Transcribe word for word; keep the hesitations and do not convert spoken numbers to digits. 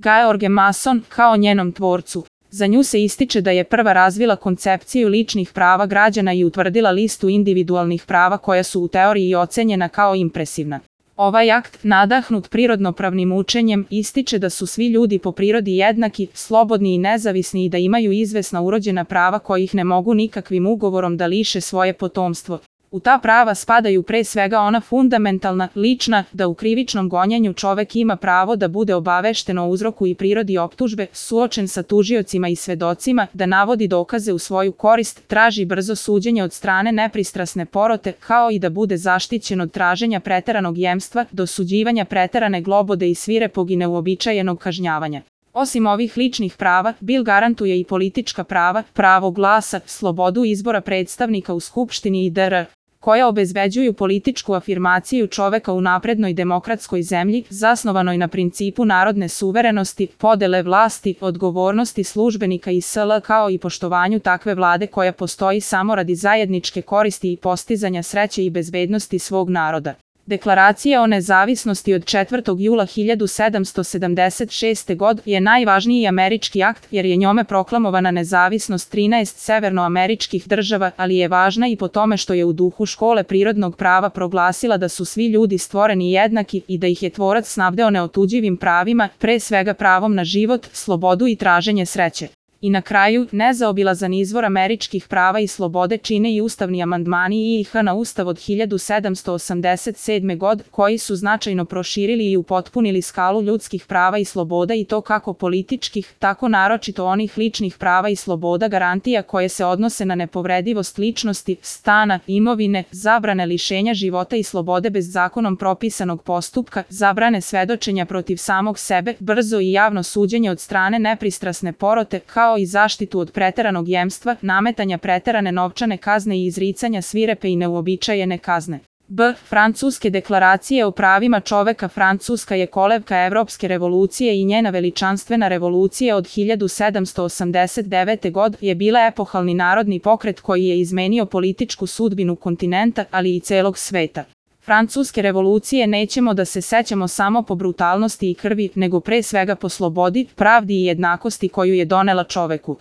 George Mason, kao njenom tvorcu. Za nju se ističe da je prva razvila koncepciju ličnih prava građana i utvrdila listu individualnih prava koja su u teoriji ocenjena kao impresivna. Ovaj akt, nadahnut prirodnopravnim učenjem, ističe da su svi ljudi po prirodi jednaki, slobodni i nezavisni i da imaju izvesna urođena prava kojih ne mogu nikakvim ugovorom da liše svoje potomstvo. U ta prava spadaju pre svega ona fundamentalna, lična, da u krivičnom gonjenju čovek ima pravo da bude obavešten o uzroku i prirodi optužbe, suočen sa tužiocima i svedocima, da navodi dokaze u svoju korist, traži brzo suđenje od strane nepristrasne porote, kao i da bude zaštićen od traženja preteranog jemstva, dosuđivanja preterane globode i svirepog i neuobičajenog kažnjavanja. Osim ovih ličnih prava, Bil garantuje i politička prava, pravo glasa, slobodu izbora predstavnika u Skupštini i dr. koja obezbeđuju političku afirmaciju čoveka u naprednoj demokratskoj zemlji, zasnovanoj na principu narodne suverenosti, podele vlasti, odgovornosti službenika i sl. Kao i poštovanju takve vlade koja postoji samo radi zajedničke koristi i postizanja sreće i bezbednosti svog naroda. Deklaracija o nezavisnosti od četvrtog jula hiljadu sedamsto sedamdeset šeste. godine je najvažniji američki akt jer je njome proklamovana nezavisnost trinaest severnoameričkih država, ali je važna i po tome što je u duhu škole prirodnog prava proglasila da su svi ljudi stvoreni jednaki i da ih je tvorac snabdeo neotuđivim pravima, pre svega pravom na život, slobodu i traženje sreće. I na kraju, nezaobilazan izvor američkih prava i slobode čine i ustavni amandmani I I H na Ustav od hiljadu sedamsto osamdeset sedme. godine, koji su značajno proširili i upotpunili skalu ljudskih prava i sloboda i to kako političkih, tako naročito onih ličnih prava i sloboda garantija koje se odnose na nepovredivost ličnosti, stana, imovine, zabrane lišenja života i slobode bez zakonom propisanog postupka, zabrane svedočenja protiv samog sebe, brzo i javno suđenje od strane nepristrasne porote, kao i zaštitu od preteranog jemstva, nametanja preterane novčane kazne i izricanja svirepe i neuobičajene kazne. B. Francuske deklaracije o pravima čoveka. Francuska je kolevka Evropske revolucije i njena veličanstvena revolucija od hiljadu sedamsto osamdeset devete. godine je bila epohalni narodni pokret koji je izmenio političku sudbinu kontinenta, ali i celog sveta. Francuske revolucije nećemo da se sećamo samo po brutalnosti i krvi, nego pre svega po slobodi, pravdi i jednakosti koju je donela čoveku.